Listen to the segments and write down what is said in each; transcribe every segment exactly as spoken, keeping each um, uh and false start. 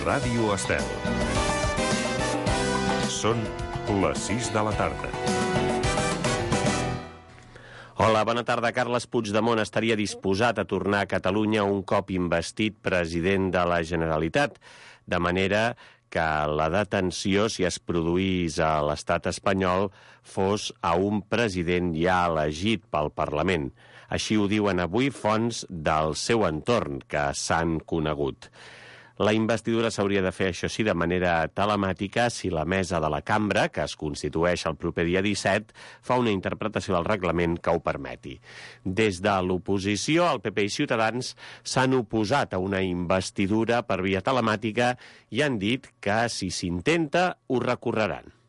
Ràdio Estel. Són les sis de la tarda. Hola, bona tarda. Carles Puigdemont estaria disposat a tornar a Catalunya un cop investit president de la Generalitat, de manera que la detenció, si es produís a l'estat espanyol, fos a un president ja elegit pel Parlament. Així ho diuen avui fonts del seu entorn, que s'han conegut. La investidura s'hauria de fer, això sí, de manera telemàtica si la mesa de la cambra, que es constitueix el proper dia disset, fa una interpretació del reglament que ho permeti. Des de l'oposició, el P P i Ciutadans s'han oposat a una investidura per via telemàtica i han dit que, si s'intenta, ho recorreran.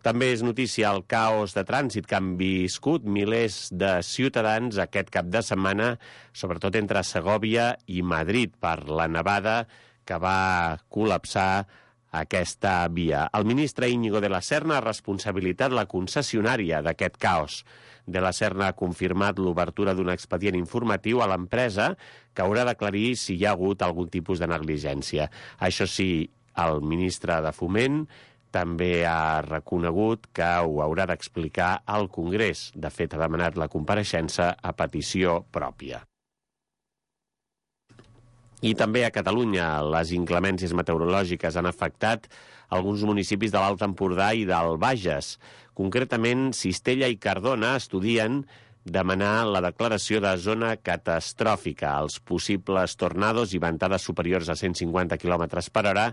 També és notícia el caos de trànsit que han viscut milers de ciutadans aquest cap de setmana, sobretot entre Segòvia i Madrid, per la nevada que va col·lapsar aquesta via. El ministre Íñigo de la Serna ha responsabilitat la concessionària d'aquest caos. De la Serna ha confirmat l'obertura d'un expedient informatiu a l'empresa que haurà d'aclarir si hi ha hagut algun tipus de negligència. Això sí, el ministre de Foment també ha reconegut que ho haurà d'explicar al Congrés. De fet, ha demanat la compareixença a petició pròpia. I també a Catalunya les inclemències meteorològiques han afectat alguns municipis de l'Alt Empordà i del Bages. Concretament, Cistella i Cardona estudien demanar la declaració de zona catastròfica. Els possibles tornados i ventades superiors a cent cinquanta quilòmetres per hora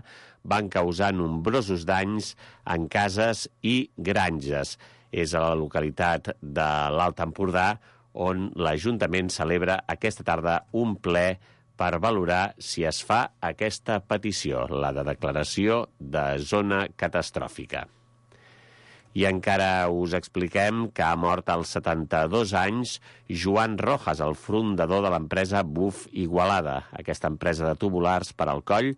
van causar nombrosos danys en cases i granges. És a la localitat de l'Alt Empordà on l'Ajuntament celebra aquesta tarda un ple per valorar si es fa aquesta petició, la de declaració de zona catastròfica. I encara us expliquem que ha mort als setanta-dos anys Joan Rojas, el fundador de l'empresa Buf Igualada. Aquesta empresa de tubulars per al coll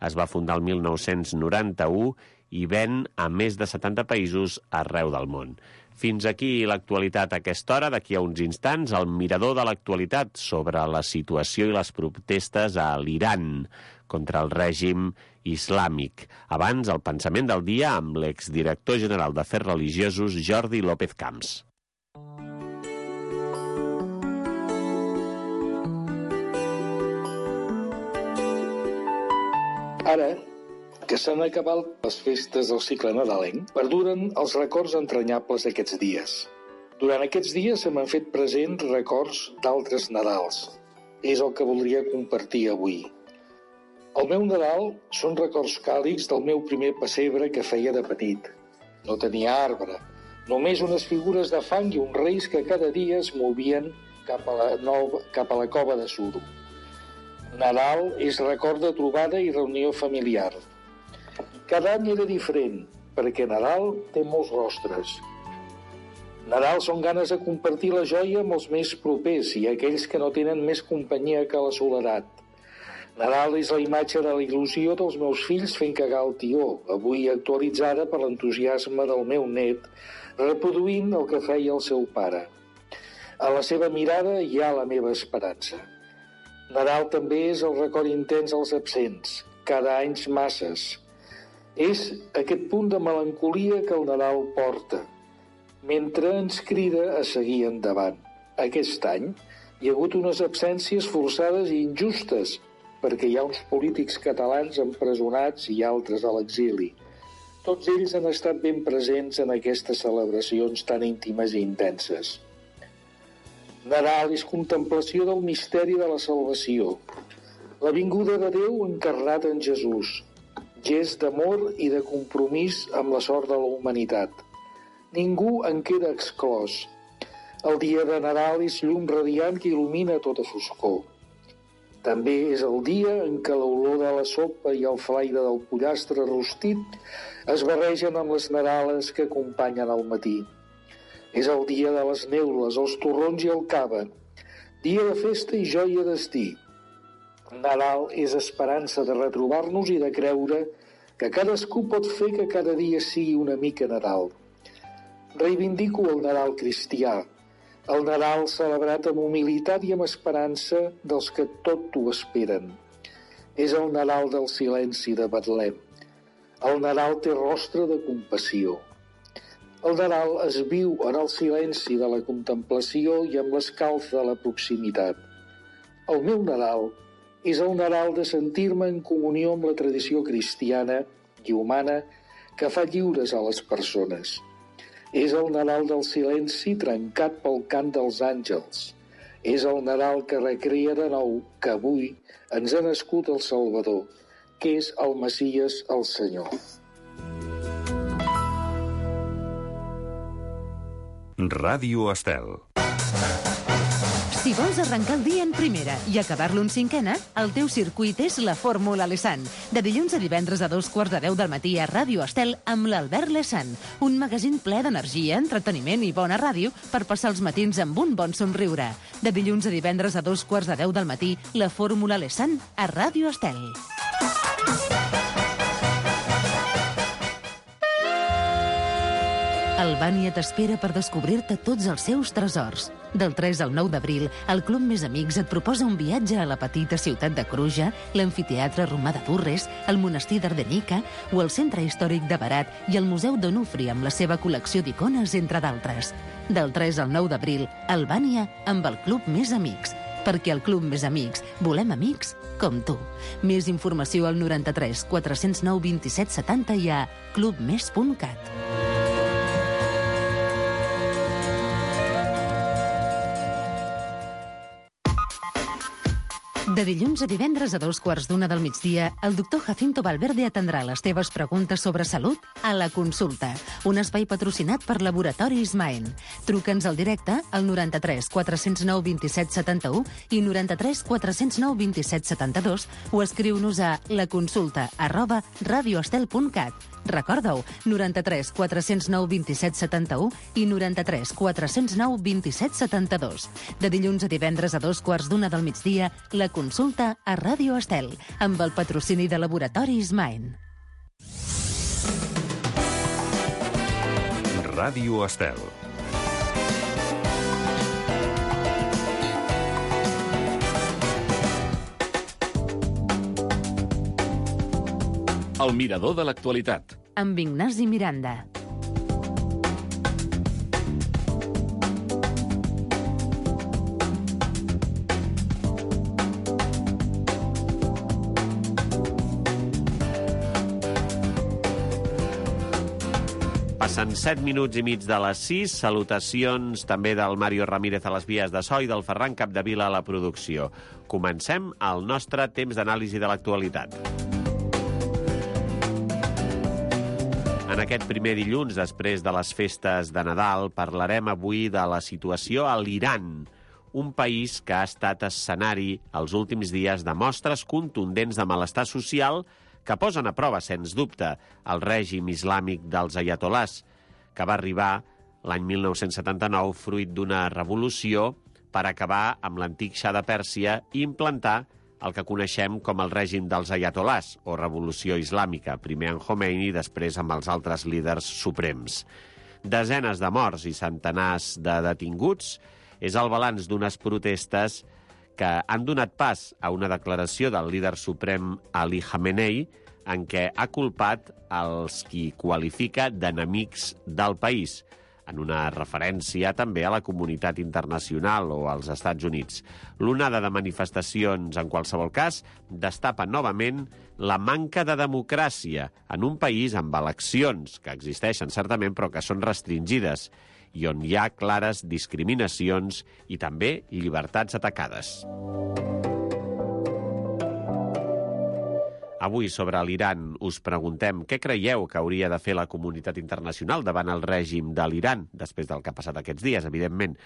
es va fundar el mil nou-cents noranta-u i ven a més de setanta països arreu del món. Fins aquí l'actualitat a aquesta hora. D'aquí a uns instants, el mirador de l'actualitat sobre la situació i les protestes a l'Iran contra el règim islàmic. Abans, el pensament del dia amb l'exdirector general d'Afers Religiosos, Jordi López Camps. Ara, que s'han acabat les festes del cicle nadalenc, perduren els records entranyables d'aquests dies. Durant aquests dies se m'han fet presents records d'altres Nadals. És el que voldria compartir avui. El meu Nadal són records càlids del meu primer pessebre que feia de petit. No tenia arbre, només unes figures de fang i uns reis que cada dia es movien cap a la, nova, cap a la cova de suro. Nadal és record de trobada i reunió familiar. Cada any era diferent, perquè Nadal té molts rostres. Nadal són ganes de compartir la joia amb els més propers i aquells que no tenen més companyia que la soledat. Nadal és la imatge de la il·lusió dels meus fills fent cagar el tió, avui actualitzada per l'entusiasme del meu net, reproduint el que feia el seu pare. A la seva mirada hi ha la meva esperança. Nadal també és el record intens als absents, cada any masses. És aquest punt de melancolia que el Nadal porta, mentre ens crida a seguir endavant. Aquest any hi ha hagut unes absències forçades i injustes, perquè hi ha uns polítics catalans empresonats i altres a l'exili. Tots ells han estat ben presents en aquestes celebracions tan íntimes i intenses. Nadal és contemplació del misteri de la salvació, la vinguda de Déu encarnat en Jesús, gest d'amor i de compromís amb la sort de la humanitat. Ningú en queda exclòs. El dia de Nadal és llum radiant que il·lumina tota foscor. També és el dia en què l'olor de la sopa i el flaire del pollastre rostit es barregen amb les nadales que acompanyen al matí. És el dia de les neules, els torrons i el cava, dia de festa i joia d'estí. Nadal és esperança de retrobar-nos i de creure que cadascú pot fer que cada dia sigui una mica Nadal. Reivindico el Nadal cristià, el Nadal celebrat amb humilitat i amb esperança dels que tot ho esperen. És el Nadal del silenci de Betlem. El Nadal té rostre de compassió. El Nadal es viu en el silenci de la contemplació i amb l'escalf de la proximitat. El meu Nadal és el Nadal de sentir-me en comunió amb la tradició cristiana i humana que fa lliures a les persones. És el Nadal del silenci trencat pel cant dels àngels. És el Nadal que recrea de nou que avui ens ha nascut el Salvador, que és el Messies, el Senyor. Ràdio Estel. Si vols arrencar el dia en primera i acabar-lo en cinquena, el teu circuit és la Fórmula Lesan. De dilluns a divendres a dos quarts de deu del matí a Ràdio Estel amb l'Albert Lesan. Un magazín ple d'energia, entreteniment i bona ràdio per passar els matins amb un bon somriure. De dilluns a divendres a dos quarts de deu del matí, la Fórmula Lesan a Ràdio Estel. Albània t'espera per descobrir-te tots els seus tresors. Del tres al nou d'abril, el Club Més Amics et proposa un viatge a la petita ciutat de Kruja, l'amfiteatre romà de Durres, el monestir d'Ardenica o el centre històric de Berat i el Museu d'Onufri amb la seva col·lecció d'icones, entre d'altres. Del tres al nou d'abril, Albània amb el Club Més Amics. Perquè al Club Més Amics volem amics com tu. Més informació al noranta-tres quatre-cents nou vint-i-set setanta i a clubmes punt cat. De dilluns a divendres a dos quarts d'una del migdia, el doctor Jacinto Valverde atendrà les teves preguntes sobre salut a La Consulta, un espai patrocinat per Laboratoris Maen. Truca'ns al directe al noranta-tres quatre-cents nou vint-i-set setanta-u i noranta-tres quatre-cents nou vint-i-set setanta-dos o escriu-nos a laconsulta arroba radioestel punt cat. Recorda-ho, noranta-tres quatre-cents nou vint-i-set setanta-u i noranta-tres quatre-cents nou vint-i-set setanta-dos. De dilluns a divendres a dos quarts d'una del migdia, La Consulta a Ràdio Estel, amb el patrocini de Laboratoris Maen. Ràdio Estel. El mirador de l'actualitat. Amb Ignasi Miranda. Passen set minuts i mig de les sis. Salutacions també del Mario Ramírez a les vies de so i del Ferran Capdevila a la producció. Comencem el nostre temps d'anàlisi de l'actualitat. En aquest primer dilluns, després de les festes de Nadal, parlarem avui de la situació a l'Iran, un país que ha estat escenari els últims dies de mostres contundents de malestar social que posen a prova, sens dubte, el règim islàmic dels aiatolàs, que va arribar l'any mil nou-cents setanta-nou fruit d'una revolució per acabar amb l'antic Xa de Pèrsia i implantar el que coneixem com el règim dels aiatolàs, o revolució islàmica, primer en Khomeini i després amb els altres líders suprems. Desenes de morts i centenars de detinguts és el balanç d'unes protestes que han donat pas a una declaració del líder suprem Ali Khamenei en què ha culpat els qui qualifica d'enemics del país, en una referència també a la comunitat internacional o als Estats Units. L'onada de manifestacions, en qualsevol cas, destapa novament la manca de democràcia en un país amb eleccions, que existeixen certament però que són restringides, i on hi ha clares discriminacions i també llibertats atacades. Avui, sobre l'Iran, us preguntem què creieu que hauria de fer la comunitat internacional davant el règim de l'Iran, després del que ha passat aquests dies, evidentment.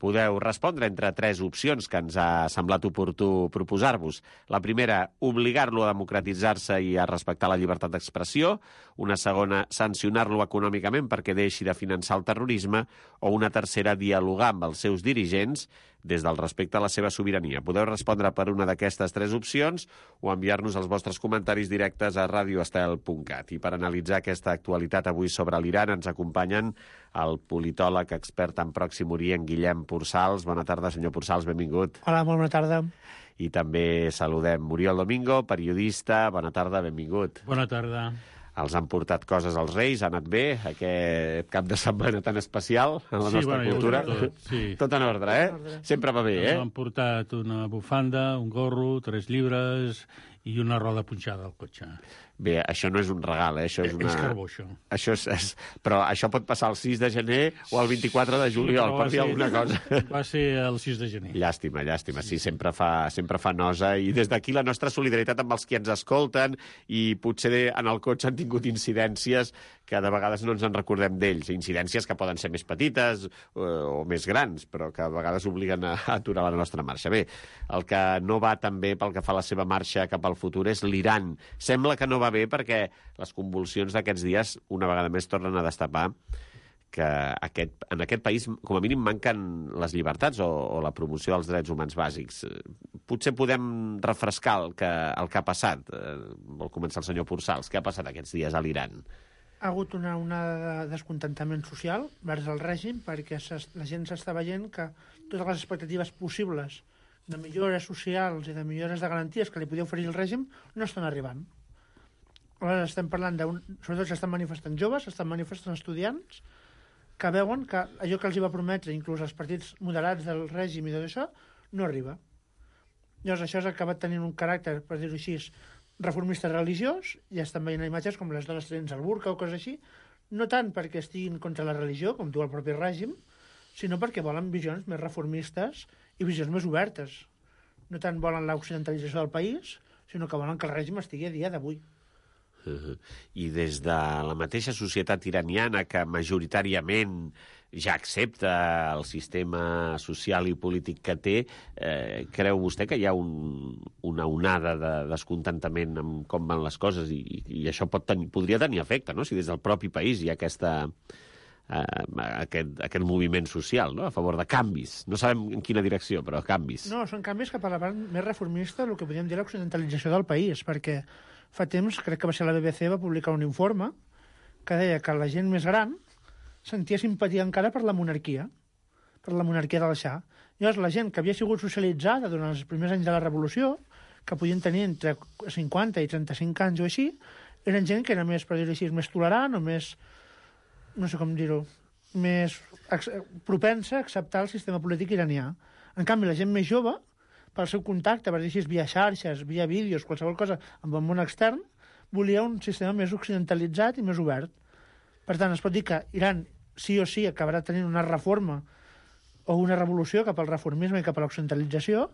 Podeu respondre entre tres opcions que ens ha semblat oportú proposar-vos. La primera, obligar-lo a democratitzar-se i a respectar la llibertat d'expressió. Una segona, sancionar-lo econòmicament perquè deixi de finançar el terrorisme. O una tercera, dialogar amb els seus dirigents des del respecte a la seva sobirania. Podeu respondre per una d'aquestes tres opcions o enviar-nos els vostres comentaris directes a radioestel punt cat. I per analitzar aquesta actualitat avui sobre l'Iran ens acompanyen el politòleg expert en Pròxim Orient, Guillem Pursals. Bona tarda, senyor Pursals, benvingut. Hola, molt bona tarda. I també saludem Oriol Domingo, periodista. Bona tarda, benvingut. Bona tarda. Els han portat coses als Reis, ha anat bé aquest cap de setmana tan especial en la sí, nostra bueno, cultura. Tot, sí. Tot en ordre, eh? Sempre va bé, eh? Ens han portat una bufanda, un gorro, tres llibres i una roda punxada al cotxe. Bé, això no és un regal, eh? Això és una... És carbó, això. Això és, és... Però això pot passar el sis de gener o el vint-i-quatre de juliol, sí, per dir ser... alguna cosa. Va ser el sis de gener. Llàstima, llàstima. Sí, sempre fa, sempre fa nosa. I des d'aquí la nostra solidaritat amb els que ens escolten i potser en el cotxe han tingut incidències que de vegades no ens en recordem d'ells. Incidències que poden ser més petites o, o més grans, però que a vegades obliguen a, a aturar la nostra marxa. Bé, el que no va tan bé pel que fa a la seva marxa cap al futur és l'Iran. Sembla que no va bé perquè les convulsions d'aquests dies una vegada més tornen a destapar que aquest, en aquest país com a mínim manquen les llibertats o, o la promoció dels drets humans bàsics. Potser podem refrescar el que, el que ha passat. Vol començar el senyor Pursals. Què ha passat aquests dies a l'Iran? Ha hagut una onada de descontentament social vers el règim perquè la gent s'està veient que totes les expectatives possibles de millores socials i de millores de garanties que li podia oferir el règim no estan arribant. Aleshores estem parlant d'un... Sobretot s'estan manifestant joves, s'estan manifestant estudiants que veuen que allò que els hi va prometre, inclús els partits moderats del règim i tot això, no arriba. Llavors això ha acabat tenint un caràcter, per dir-ho així, reformista religiós, ja estan veient imatges com les dones traient el burca o coses així, no tant perquè estiguin contra la religió, com diu el propi règim, sinó perquè volen visions més reformistes i visions més obertes. No tant volen l'occidentalització del país, sinó que volen que el règim estigui a dia d'avui. Uh-huh. I des de la mateixa societat iraniana que majoritàriament ja accepta el sistema social i polític que té, eh, creu vostè que hi ha un, una onada de descontentament amb com van les coses i, i això pot tenir, podria tenir efecte, no? Si des del propi país hi ha aquesta, eh, aquest, aquest moviment social, no? A favor de canvis. No sabem en quina direcció, però canvis. No, són canvis cap a la part més reformista del que podríem dir l'occidentalització del país, perquè fa temps, crec que va ser la B B C, va publicar un informe que deia que la gent més gran sentia simpatia encara per la monarquia, per la monarquia del Xa. Llavors, la gent que havia sigut socialitzada durant els primers anys de la Revolució, que podien tenir entre cinquanta i trenta-cinc anys o així, eren gent que era més, per dir-ho així, més tolerant o més, no sé com dir-ho, més propensa a acceptar el sistema polític iranià. En canvi, la gent més jove, pel seu contacte, per dir així, via xarxes, via vídeos, qualsevol cosa amb el món extern, volia un sistema més occidentalitzat i més obert. Per tant, es pot dir que Iran sí o sí acabarà tenint una reforma o una revolució cap al reformisme i cap a l'occidentalització,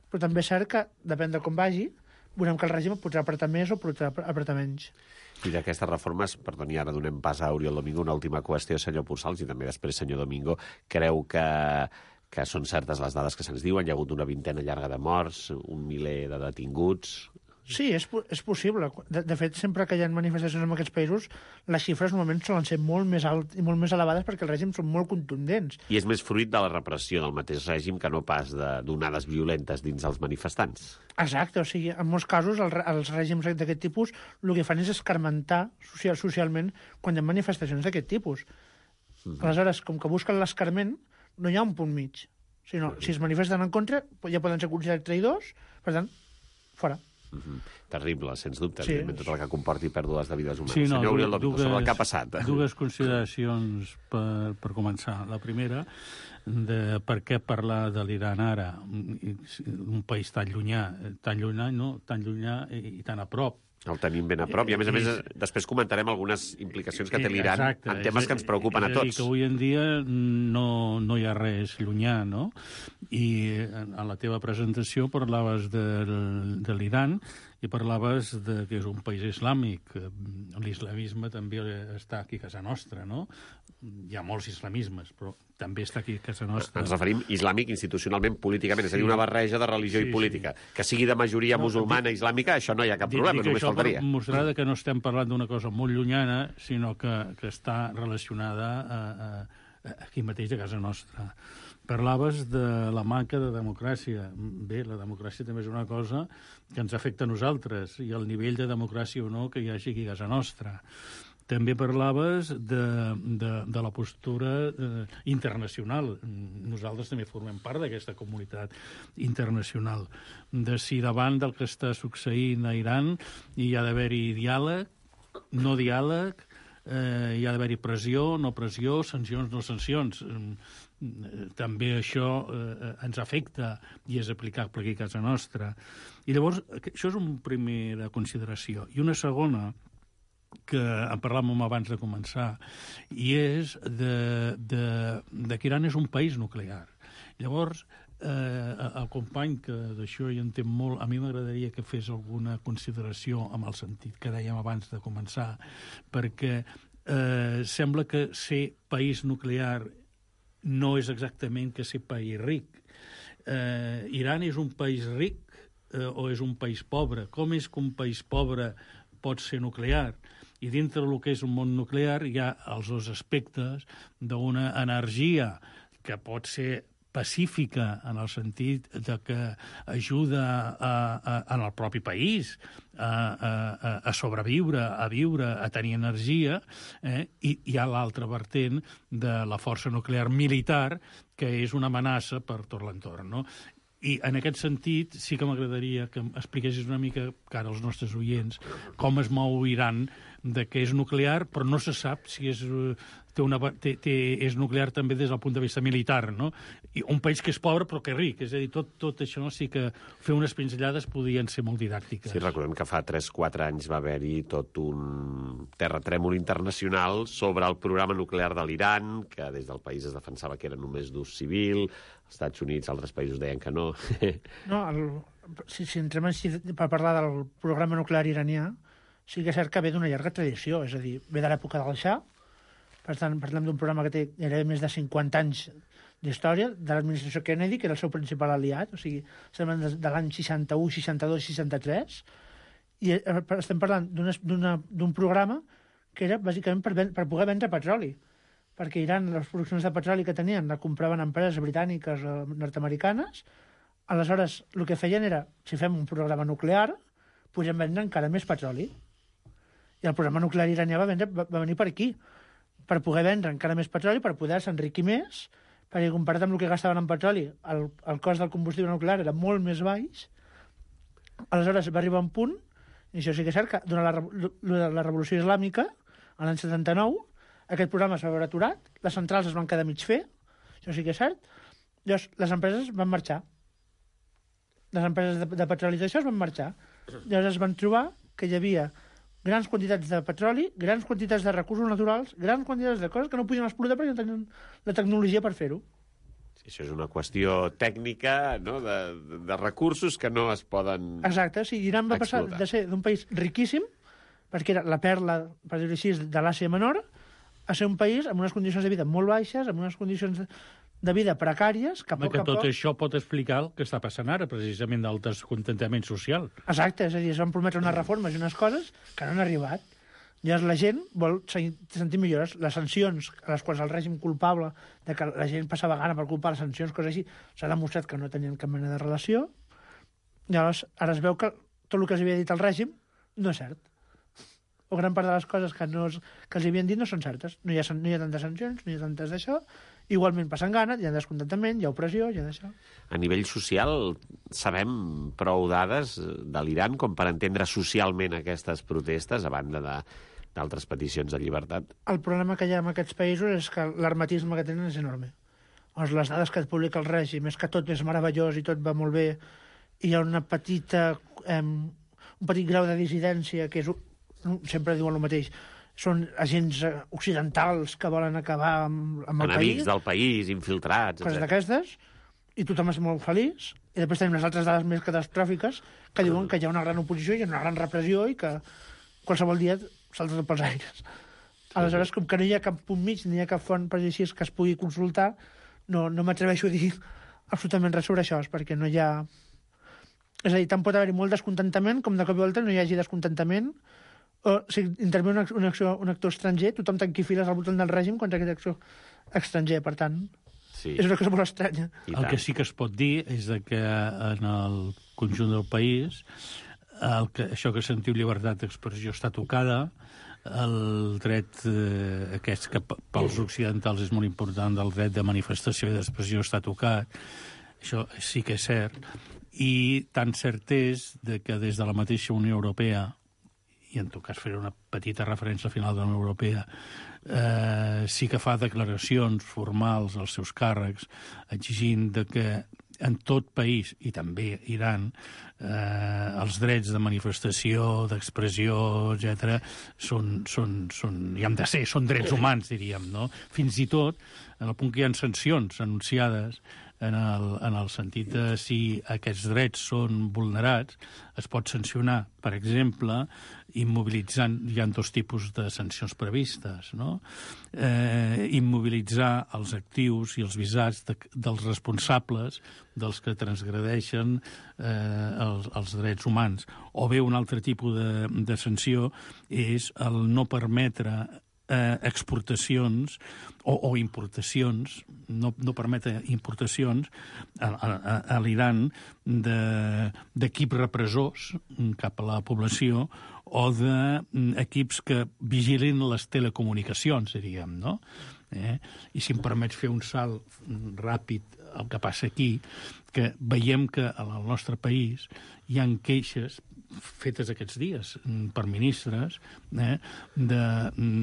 però també és cert que, depèn de com vagi, veurem que el règim podrà apretar més o podrà apretar menys. I d'aquestes reformes, perdoni, ara donem pas a Oriol Domingo, una última qüestió, senyor Pursals, i també després, senyor Domingo, creu que que són certes les dades que se'ns diuen, hi ha hagut una vintena llarga de morts, un miler de detinguts... Sí, és, és possible. De, de fet, sempre que hi ha manifestacions en aquests països, les xifres normalment solen ser molt més alt i molt més elevades perquè els règims són molt contundents. I és més fruit de la repressió del mateix règim que no pas d'onades violentes dins els manifestants. Exacte, o sigui, en molts casos el, els règims d'aquest tipus el que fan és escarmentar social, socialment quan hi ha manifestacions d'aquest tipus. Mm. Aleshores, com que busquen l'escarment, no hi ha un punt mig. Sinó, uh-huh. Si es manifesten en contra, ja poden ser considerats traïdors, per tant, fora. Uh-huh. Terrible, sens dubte, sí. Tot el que comporti pèrdues de vides humanes. Sí, no, Senyor Oriol Domingo, dues, sobre el que ha passat. Dues consideracions per, per començar. La primera, de per què parlar de l'Iran ara, un país tan llunyà, tan llunyà, no? tan llunyà i, i tan a prop. El tenim ben a prop, i a més a més després comentarem algunes implicacions que té l'Iran en temes que ens preocupen a tots. És a dir, que avui en dia no, no hi ha res llunyà, no? I a la teva presentació parlaves de, de l'Iran i parlaves de que és un país islàmic. L'islamisme també està aquí a casa nostra, no? Hi ha molts islamismes, però també està aquí a casa nostra. Ens referim islàmic institucionalment, políticament, és a dir, una barreja de religió sí, i política. Sí. Que sigui de majoria no, musulmana i islàmica, això no hi ha cap problema, només faltaria. Per mostrar que no estem parlant d'una cosa molt llunyana, sinó que, que està relacionada a, a, aquí mateix a casa nostra. Parlaves de la manca de democràcia. Bé, la democràcia també és una cosa que ens afecta a nosaltres, i el nivell de democràcia o no que hi hagi aquí a casa nostra. També parlaves de, de, de la postura eh, internacional. Nosaltres també formem part d'aquesta comunitat internacional. De si davant del que està succeint a Iran hi ha d'haver-hi diàleg, no diàleg, eh, hi ha d'haver-hi pressió, no pressió, sancions, no sancions. També això eh, ens afecta i és aplicable aquí a casa nostra. I llavors, això és una primera consideració. I una segona, que en parlàvem abans de començar, i és de, de, de que Iran és un país nuclear. Llavors, eh, el company, que d'això hi entén molt, a mi m'agradaria que fes alguna consideració amb el sentit que dèiem abans de començar, perquè eh, sembla que ser país nuclear no és exactament que ser país ric. Eh, Iran és un país ric eh, o és un país pobre? Com és que un país pobre pot ser nuclear? I dintre del que és un món nuclear hi ha els dos aspectes d'una energia que pot ser pacífica en el sentit de que ajuda a, a, en el propi país a, a, a sobreviure, a viure, a tenir energia, eh? I hi ha l'altra vertent de la força nuclear militar, que és una amenaça per tot l'entorn, no? I en aquest sentit sí que m'agradaria que expliquessis una mica, cara als nostres oients, com es mou Iran, de que és nuclear, però no se sap si és, té una, té, té, és nuclear també des del punt de vista militar, no? I un país que és pobre però que és ric, és a dir, tot, tot això sí que fer unes pinzellades podien ser molt didàctiques. Sí, recordem que fa tres o quatre anys va haver-hi tot un terratrèmol internacional sobre el programa nuclear de l'Iran, que des del país es defensava que era només d'ús civil, els Estats Units, altres països deien que no. No, el, si, si entrem així per parlar del programa nuclear iranià, sí que és cert que ve d'una llarga tradició, és a dir, ve de l'època del Shah, per tant, parlem d'un programa que té gairebé més de cinquanta anys d'història, de l'administració Kennedy, que era el seu principal aliat, o sigui, estem de, de l'any seixanta-u, seixanta-dos, seixanta-tres, i estem parlant d'un programa que era bàsicament per, ven, per poder vendre petroli, perquè Iran, les produccions de petroli que tenien, la compraven empreses britàniques o nord-americanes, aleshores el que feien era, si fem un programa nuclear, podem vendre encara més petroli. I el programa nuclear iranià va, vendre, va, va venir per aquí, per poder vendre encara més petroli, per poder s'enriquir més, perquè comparat amb el que gastaven en petroli, el, el cost del combustible nuclear era molt més baix. Aleshores va arribar un punt, i això sí que és cert, que durant la, la Revolució Islàmica, l'any setanta-nou, aquest programa s'ha veure aturat, les centrals es van quedar mig fer, això sí que és cert, llavors les empreses van marxar. Les empreses de, de petroli i d'això es van marxar. Llavors es van trobar que hi havia grans quantitats de petroli, grans quantitats de recursos naturals, grans quantitats de coses que no podien explotar perquè no tenien la tecnologia per fer-ho. Sí, això és una qüestió tècnica, no?, de, de recursos que no es poden Exacte, sí, Iran va passar explotar. de ser d'un país riquíssim, perquè era la perla, per dir-ho així, de l'Àsia Menor, a ser un país amb unes condicions de vida molt baixes, amb unes condicions de, de vida precàries, que a Home, poc que a tot poc... això pot explicar el que està passant ara, precisament del descontentament social. Exacte, és a dir, es van prometre unes reformes i unes coses que no han arribat. Llavors la gent vol sentir millores. Les sancions a les quals el règim culpable de que la gent passava gana per culpar les sancions, coses així, s'ha demostrat que no tenien cap mena de relació. Llavors, ara es veu que tot el que els havia dit el règim no és cert. O gran part de les coses que, no es, que els havien dit no són certes. No hi ha, no hi ha tantes sancions, no hi ha tantes d'això. Igualment passen gana, hi ha descontentament, hi ha opressió, hi ha d'això. A nivell social, sabem prou dades de l'Iran com per entendre socialment aquestes protestes, a banda de d'altres peticions de llibertat? El problema que hi ha en aquests països és que l'hermetisme que tenen és enorme. Doncs les dades que et publica el règim és que tot és meravellós i tot va molt bé, i hi ha una petita, eh, un petit grau de dissidència que és, sempre diuen el mateix, són agents occidentals que volen acabar amb, amb el Enemics país. Enemics del país, infiltrats, coses etcètera. d'aquestes, i tothom és molt feliç. I després tenim les altres dades més catastròfiques que diuen que hi ha una gran oposició, hi ha una gran repressió i que qualsevol dia salta pels aires. Aleshores, com que no hi ha cap punt mig, ni hi ha cap font, per dir així, que es pugui consultar, no, no m'atreveixo a dir absolutament res sobre això, perquè no hi ha... És a dir, tant pot haver-hi molt descontentament com de cop i volta no hi hagi descontentament. O si intervé un, un, acció, un actor estranger, tothom tanqui files al voltant del règim contra aquest actor estranger. Per tant, Sí. és una cosa molt estranya. I El tant. que sí que es pot dir és de que en el conjunt del país el que, això que sentiu llibertat d'expressió està tocada, el dret eh, aquest que pels occidentals és molt important, del dret de manifestació i d'expressió està tocat. Això sí que és cert. I tan cert és de que des de la mateixa Unió Europea, i en tot cas faré una petita referència al final de la Unió Europea, eh, sí que fa declaracions formals als seus càrrecs exigint de que en tot país, i també Iran, eh, els drets de manifestació, d'expressió, etcètera, són, són, són, hi han de ser, són drets humans, diríem, no? Fins i tot, en el punt que hi ha sancions anunciades, en el, en el sentit de si aquests drets són vulnerats, es pot sancionar, per exemple, immobilitzant, hi ha dos tipus de sancions previstes, no? Eh, immobilitzar els actius i els visats de, dels responsables dels que transgredeixen eh, els, els drets humans. O bé un altre tipus de, de sanció és el no permetre Eh, exportacions o, o importacions, no, no permet importacions a, a, a l'Iran d'equips repressors cap a la població o d'equips que vigilin les telecomunicacions, diríem, no? Eh? I si em permets fer un salt ràpid al que passa aquí, que veiem que al nostre país hi ha queixes fetes aquests dies per ministres eh, de,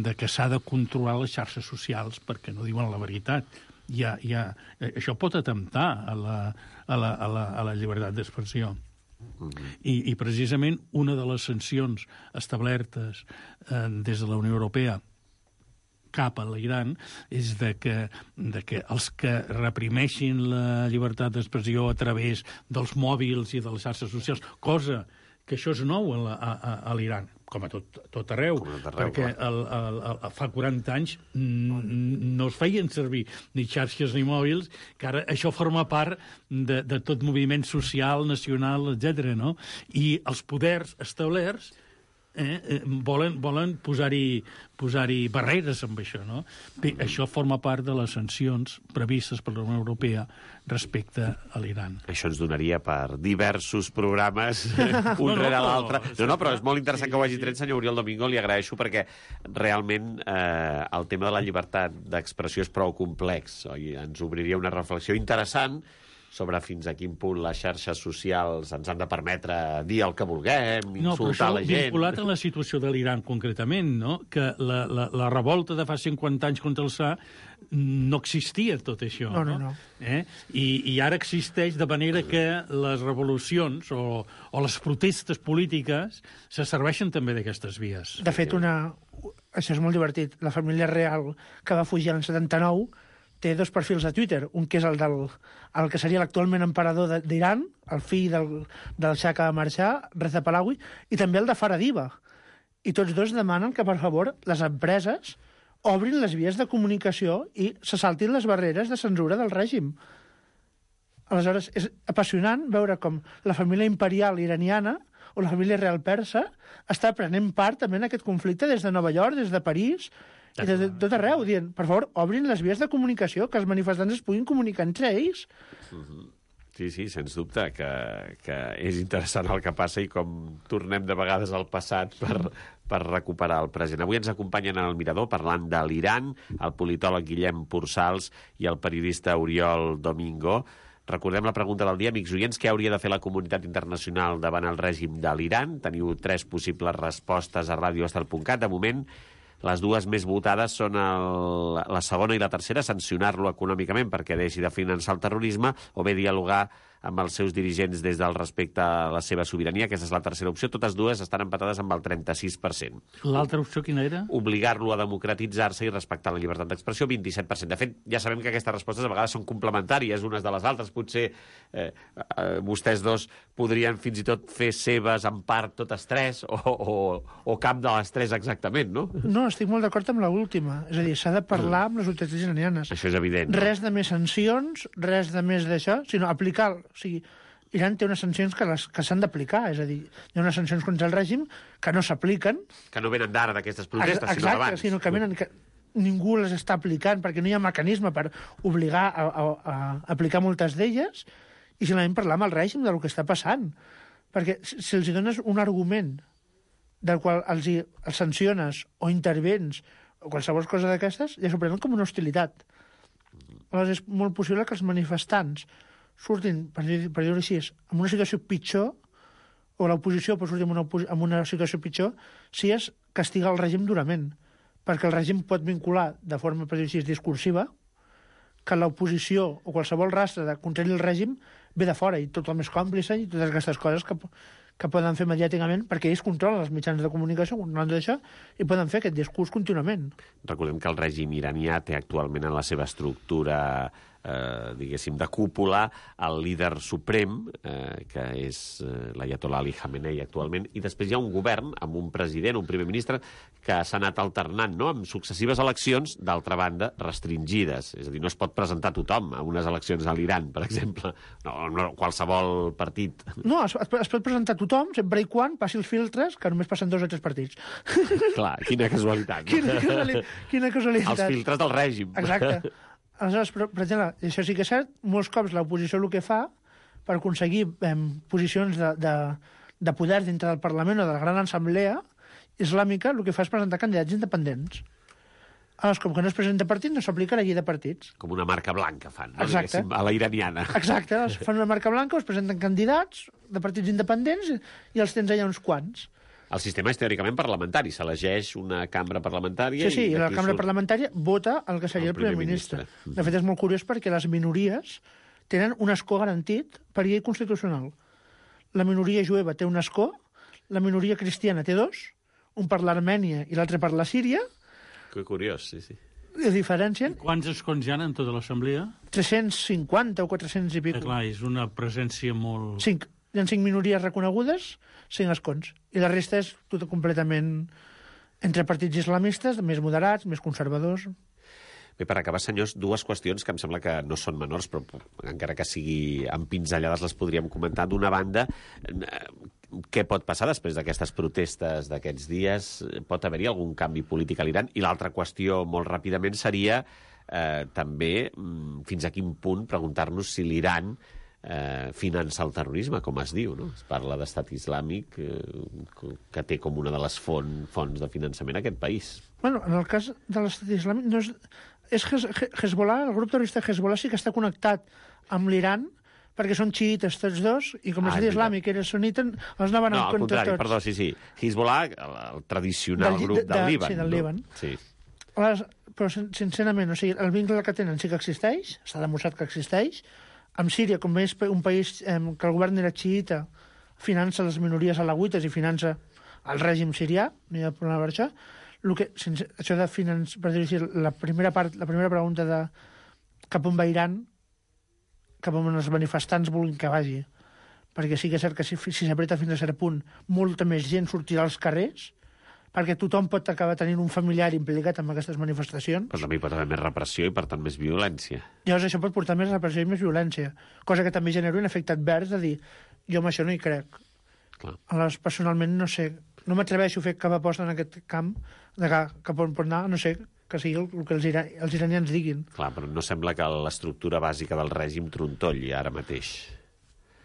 de que s'ha de controlar les xarxes socials perquè no diuen la veritat. Ja, ja, això pot atemptar a la, a la, a la, a la llibertat d'expressió. Mm-hmm. I, I precisament una de les sancions establertes eh, des de la Unió Europea cap a l'Iran és de que, de que els que reprimeixin la llibertat d'expressió a través dels mòbils i de les xarxes socials, cosa que això és nou a, la, a, a l'Iran, com a tot, tot arreu, com a tot arreu, perquè el, el, el, fa quaranta anys no es feien servir ni xarxes ni mòbils, que ara això forma part de, de tot moviment social, nacional, etcètera, no? I els poders establerts Eh, volen, volen posar-hi posar-hi barreres amb això, no? Bé, això forma part de les sancions previstes per la Unió Europea respecte a l'Iran. Això ens donaria per diversos programes, un no, rere no, l'altre. No, no, però és molt interessant sí, que ho hagi tret, senyor Oriol Domingo, li agraeixo, perquè realment eh, el tema de la llibertat d'expressió és prou complex, oi? Ens obriria una reflexió interessant sobre fins a quin punt les xarxes socials ens han de permetre dir el que vulguem, insultar no, però la gent... No, vinculat a la situació de l'Iran concretament, no? Que la, la, la revolta de fa cinquanta anys contra el Shah no existia tot això. No, no, no. Eh? I, I ara existeix de manera que les revolucions o, o les protestes polítiques se serveixen també d'aquestes vies. De fet, una... això és molt divertit. La família real que va fugir l'any setanta-nou té dos perfils a Twitter, un que és el del el que seria l'actualment emperador d'Iran, el fill del, del Shah que va marxar, Reza Pahlavi, i també el de Faradiva. I tots dos demanen que, per favor, les empreses obrin les vies de comunicació i se saltin les barreres de censura del règim. Aleshores, és apassionant veure com la família imperial iraniana o la família real persa està prenent part també en aquest conflicte des de Nova York, des de París, i de tot arreu, dient, per favor, obrin les vies de comunicació, que els manifestants es puguin comunicar entre ells. Mm-hmm. Sí, sí, sens dubte, que, que és interessant el que passa i com tornem de vegades al passat per, per recuperar el present. Avui ens acompanyen en el Mirador parlant de l'Iran, el politòleg Guillem Pursals i el periodista Oriol Domingo. Recordem la pregunta del dia, amics oients, què hauria de fer la comunitat internacional davant el règim de l'Iran? Teniu tres possibles respostes a radioestel punt cat. De moment, les dues més votades són el, la segona i la tercera, sancionar-lo econòmicament perquè deixi de finançar el terrorisme, o bé dialogar amb els seus dirigents des del respecte a la seva sobirania. Aquesta és la tercera opció. Totes dues estan empatades amb el trenta-sis per cent. L'altra opció quina era? Obligar-lo a democratitzar-se i respectar la llibertat d'expressió, vint-i-set per cent. De fet, ja sabem que aquestes respostes a vegades són complementàries unes de les altres. Potser eh, eh, vostès dos podrien fins i tot fer seves en part totes tres, o, o, o cap de les tres exactament, no? No, estic molt d'acord amb l'última. És a dir, s'ha de parlar amb les autoritats iranianes. Això és evident, no? Res de més sancions, res de més d'això, sinó aplicar... O sigui, Iran té unes sancions que, les, que s'han d'aplicar, és a dir, hi ha unes sancions contra el règim que no s'apliquen. Que no venen d'ara d'aquestes protestes, Exacte, sinó d'abans. Sinó que venen, que ningú les està aplicant perquè no hi ha mecanisme per obligar a, a, a aplicar moltes d'elles i simplement parlar amb el règim del que està passant. Perquè si els dones un argument del qual els, hi, els sanciones o intervens o qualsevol cosa d'aquestes, ja s'ho prenen com una hostilitat. Aleshores, és molt possible que els manifestants surtin, per dir-ho per dir així, en una situació pitjor, o l'oposició pot sortir en una, en una situació pitjor, si es castiga el règim durament. Perquè el règim pot vincular de forma, per dir-ho així, discursiva, que l'oposició o qualsevol rastre de contrari el règim ve de fora i tot el més còmplice i totes aquestes coses que, que poden fer mediàticament perquè ells controlen els mitjans de comunicació, controlen d'això, i poden fer aquest discurs contínuament. Recordem que el règim iranià té actualment en la seva estructura eh, diguéssim, de cúpula el líder suprem, eh, que és eh, l'Ayatollah Ali Khamenei actualment, i després hi ha un govern amb un president, un primer ministre, que s'ha anat alternant, no?, amb successives eleccions, d'altra banda, restringides. És a dir, no es pot presentar tothom a unes eleccions a l'Iran, per exemple. No, no, qualsevol partit. No, es, es pot presentar tothom, sempre i quan passi els filtres, que només passen dos o tres partits. Clar, quina casualitat. Quina, casuali... quina casualitat. Els filtres del règim. Exacte. Aleshores, per, per exemple, això sí que és cert, molts cops l'oposició el que fa per aconseguir eh, posicions de, de, de poder dintre del Parlament o de la gran assemblea islàmica, el que fa és presentar candidats independents. Aleshores, com que no es presenta partit, no s'aplica la llei de partits. Com una marca blanca fan, no? Exacte. A la iraniana. Exacte, es fan una marca blanca, es presenten candidats de partits independents i els tens allà uns quants. El sistema és teòricament parlamentari, s'elegeix una cambra parlamentària... Sí, sí, i la cambra surt... parlamentària vota el que seria el, el primer, primer ministre. ministre. De fet, és molt curiós perquè les minories tenen un escó garantit per llei constitucional. La minoria jueva té un escó, la minoria cristiana té dos, un per l'Armènia i l'altre per la Síria. Que curiós, sí, sí. Es diferencien. Quants escons hi ha en tota l'assemblea? tres-cents cinquanta o quatre-cents i pico. Eh, clar, és una presència molt... Cinc. Hi ha cinc minories reconegudes, cinc escons. I la resta és tot completament entre partits islamistes, més moderats, més conservadors. Bé, per acabar, senyors, dues qüestions que em sembla que no són menors, però encara que sigui amb pinzellades les podríem comentar. D'una banda, què pot passar després d'aquestes protestes d'aquests dies? Pot haver-hi algun canvi polític a l'Iran? I l'altra qüestió, molt ràpidament, seria eh, també fins a quin punt preguntar-nos si l'Iran Eh, finança el terrorisme, com es diu, no? Es parla d'estat islàmic eh, que té com una de les font, fonts de finançament aquest país. Bueno, en el cas de l'estat islàmic no és, és Hezbollah, el grup terrorista Hezbollah sí que està connectat amb l'Iran perquè són xiites tots dos i com ah, l'estat islàmic era sunita els anaven no, en compte contrari, tots. Perdó, sí, sí. Hezbollah, el, el tradicional del, grup de, del Líban. Sí, del no? Líban. Sí. Aleshores, però sincerament, o sigui, el vincle que tenen sí que existeix, s'ha demostrat que existeix. Amb Síria, com és un país eh, que el govern era xiita, finança les minories alauites i finança el règim sirià, no hi ha problema per això. El que, sense, això de finanç, per dir-ho així, la primera part, la primera pregunta de cap on va Iran, cap on els manifestants vulguin que vagi. Perquè sí que és cert que si, si s'apreta fins a cert punt, molta més gent sortirà als carrers, perquè tothom pot acabar tenint un familiar implicat en aquestes manifestacions. Però també hi pot haver més repressió i, per tant, més violència. Llavors això pot portar més repressió i més violència, cosa que també genera un efecte advers de dir, jo amb això no hi crec. Clar. Aleshores, personalment, no sé, no m'atreveixo a fer cap aposta en aquest camp, de cap on pot anar, no sé, que sigui el, el que els, ira, els iranians diguin. Clar, però no sembla que l'estructura bàsica del règim trontolli ara mateix.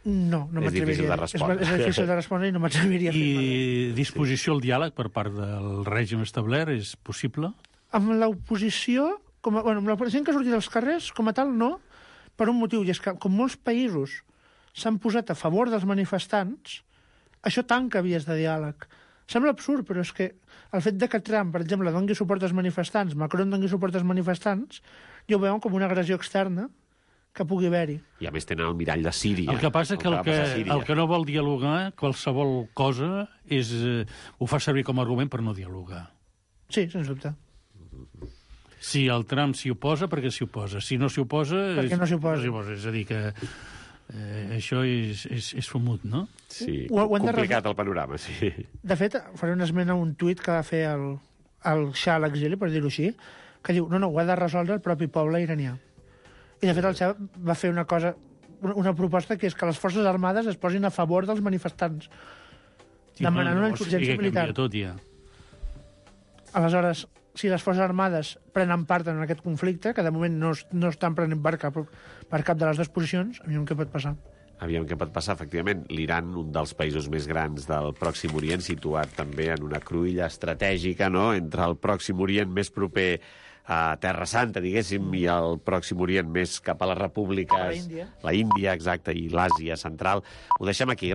No, no és difícil de respondre. És, és difícil de respondre i no m'atreviria a fer. I disposició al diàleg per part del règim establert és possible? Amb l'oposició, com a, bueno, amb la gent que ha sortit dels carrers, com a tal, no, per un motiu, i és que com molts països s'han posat a favor dels manifestants, això tanca vies de diàleg. Sembla absurd, però és que el fet de que Trump, per exemple, doni suport als manifestants, Macron doni suport als manifestants, jo ho veuen com una agressió externa que pugui haver-hi. I a més tenen el mirall de Síria. El que passa que el que, el que no vol dialogar, qualsevol cosa, és, eh, ho fa servir com a argument per no dialogar. Sí, sens dubte. Si el Trump s'hi oposa, perquè s'hi oposa. Si no s'hi oposa... Perquè no s'hi oposa. No oposa. És a dir, que eh, això és, és, és fumut, no? Sí, ho, ho complicat el panorama, sí. De fet, faré una esmena a un tuit que va fer el, el Shah a l'exili, per dir-ho així, que diu, no, no, ho ha de resoldre el propi poble iranià. I, de fet, el Shah va fer una cosa, una proposta que és que les forces armades es posin a favor dels manifestants, sí, demanant una insurgència militar. Tot, ja. Aleshores, si les forces armades prenen part en aquest conflicte, que de moment no, no estan prenent part cap, per cap de les dues posicions, a mi què pot passar? Aviam què pot passar, efectivament. L'Iran, un dels països més grans del Pròxim Orient, situat també en una cruïlla estratègica, no?, entre el Pròxim Orient més proper a Terra Santa, diguéssim, i el Pròxim Orient més cap a les repúbliques... La Índia. La Índia, exacte, i l'Àsia central. Ho deixem aquí.